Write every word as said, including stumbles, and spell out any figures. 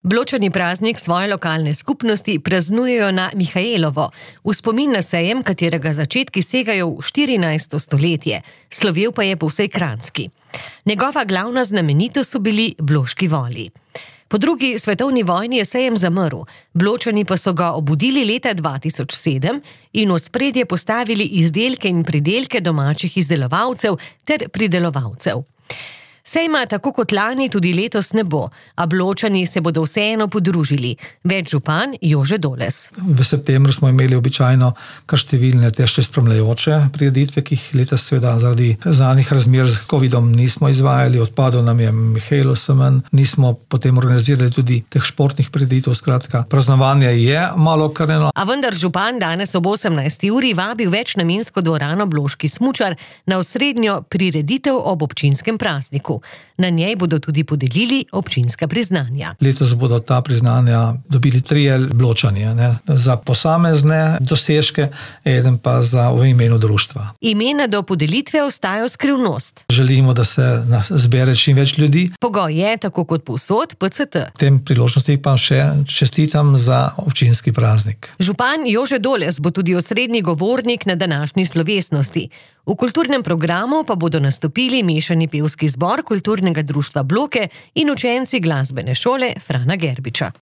Bločani praznik svoje lokalne skupnosti praznujejo na Mihaelovo, v spomin na sejem, katerega začetki segajo v štirinajsto stoletje, slovel pa je po vsej Kranjski. Njegova glavna znamenitost so bili bloški voli. Po drugi svetovni vojni je sejem zamrl, Bločani pa so ga obudili leta dva tisoč sedem in v ospredje postavili izdelke in pridelke domačih izdelovalcev ter pridelovalcev. Sejma tako kot lani tudi letos ne bo, a Bločani se bodo vseeno podružili. Več župan Jože Doles. V septembru smo imeli običajno kar številne te še spremljajoče prireditve, ki jih letos seveda zaradi znanih razmer z covidom nismo izvajali, odpadel nam je Mihaelov semenj, nismo potem organizirali tudi teh športnih prireditev, skratka, praznovanje je malo okrnjeno. A vendar župan danes ob osemnajsti uri vabil večnamensko dvorano Bloški smučar na osrednjo prireditev ob občinskem prazniku. Na njej bodo tudi podelili občinska priznanja. Letos bodo ta priznanja dobili trije Bločani, ne, za posamezne dosežke, eden pa za v imenu društva. Imena do podelitve ostajajo skrivnost. Želimo, da se zbere čim več ljudi. Pogoj je, tako kot povsod, P C T. V tem priložnosti pa še čestitam za občinski praznik. Župan Jože Doles bo tudi osrednji govornik na današnji slovesnosti. V kulturnem programu pa bodo nastopili mešani pevski zbor Kulturnega društva Bloke in učenci glasbene šole Frana Gerbiča.